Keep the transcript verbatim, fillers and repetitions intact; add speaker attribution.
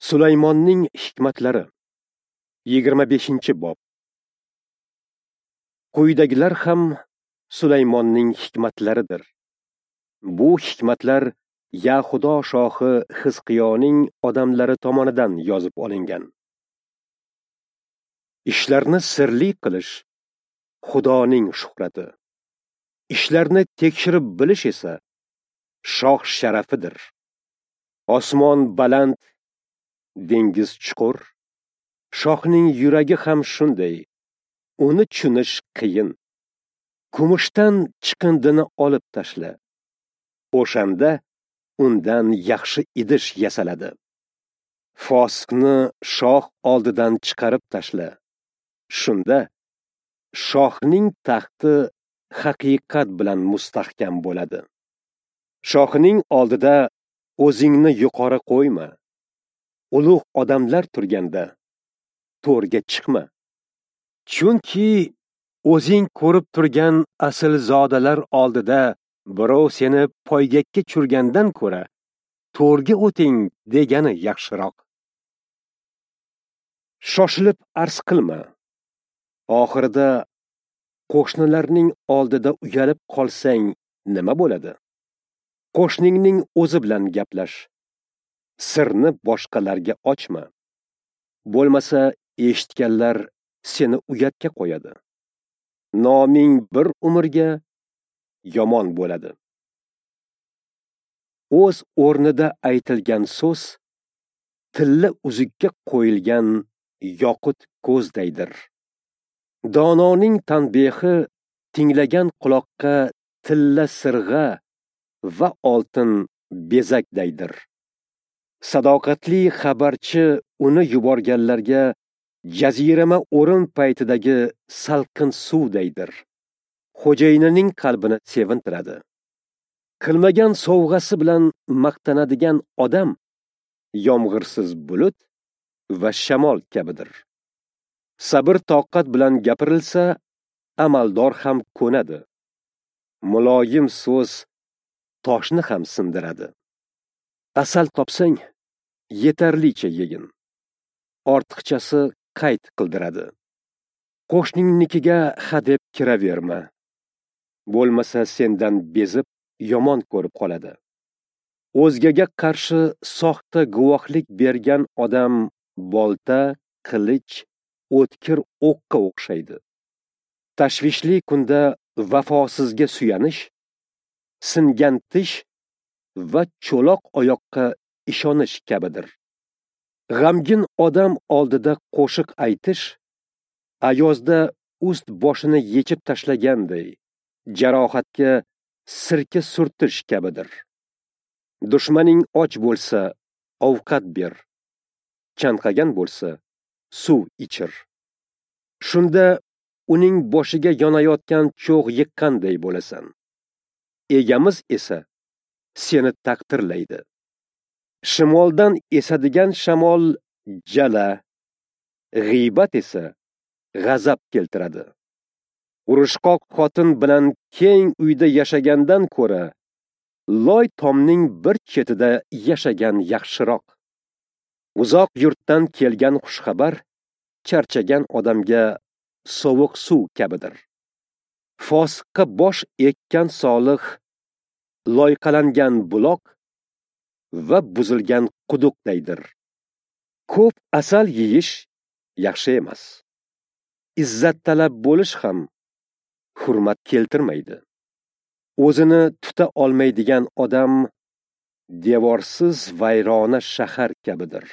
Speaker 1: Sulaymonning hikmatlari, yigirma beshinchi bob. Quyidagilar ham Sulaymonning hikmatlaridir. Bu hikmatlar Yahudo shohi Xizqiyoning odamlari tomonidan yozib olingan. Ishlarni sirli qilish Xudoning shuhrati. Ishlarni tekshirib bilish esa shoh sharafidir. Osmon baland, dengiz chuqur. Shohning yuragi ham shunday. Uni tushunish qiyin. Kumushdan chiqindini olib tashla. O'shanda undan yaxshi idish yasaladi. Fosiqni shoh oldidan chiqarib tashla. Shunda shohning taxti haqiqat bilan mustahkam bo'ladi. Shohning oldida o'zingni yuqori qo'yma. Ulug' odamlar turganda to'rga chiqma. Chunki o'zing ko'rib turgan aslzodalar oldida birov seni poygakka tushirgandan ko'ra to'rga o'ting degani yaxshiroq. Shoshilib arz qilma. Oxirida qo'shnilarning oldida uyalib qolsang nima bo'ladi? Qo'shningning o'zi bilan gaplash. Sirni boshqalarga ochma. Bo'lmasa eshitganlar seni uyatga qo'yadi. Noming bir umrga yomon bo'ladi. O'z o'rnida aytilgan so'z tilla uzukka qo'yilgan yoqut ko'zdaydir. Dononing tanbehi tinglagan quloqqa tilla sirg'a va oltin bezakdaydir. Sadoqatli xabarchi uni yuborganlarga jazirama o'rin paytidagi salqin suvdaydir. Xo'jayinining qalbini sevintiradi. Qilmagan sovg'asi bilan maqtanadigan odam yomg'irsiz bulut va shamol kabidir. Sabr toqat bilan gapirilsa, amaldor ham ko'nadi. Muloyim so'z toshni ham sindiradi. Asal topsang, yetarlicha yegin. Ortiqchasi qayt qildiradi. Qo'shningnikiga hadeb kiraverma. Bo'lmasa sendan bezib yomon ko'rib qoladi. O'zgaga qarshi soxta guvohlik bergan odam bolta, qilich, o'tkir o'qqa o'xshaydi. Tashvishli kunda vafosizga suyanish, singan tish va cho'loq oyoqqa ishonish kabidir. G'amgin odam oldida qo'shiq aytish, ayozda ust boshini yechib tashlaganday, jarohatga sirka surtish kabidir. Dushmaning och bo'lsa, ovqat ber. Chanqagan bo'lsa, suv ichir. Shunda uning boshiga yonayotgan cho'g' yiqqanday bo'lasan. Egamiz esa seni taqdirlaydi. Shimoldan esadigan shamol jala, g'iybat esa g'azab keltiradi. Urushqoq xotin bilan keng uyda yashagandan ko'ra loy tomning bir chetida yashagan yaxshiroq. Uzoq yurtdan kelgan xushxabar charchagan odamga sovuq suv kabidir. Fosiqqa bosh ekkan solih loyqalangan buloq va buzilgan quduqdaydir. Ko'p asal yeyish yaxshi emas. Izzat talab bo'lish ham hurmat keltirmaydi. O'zini tuta olmaydigan odam devorsiz vayrona shahar kabidir.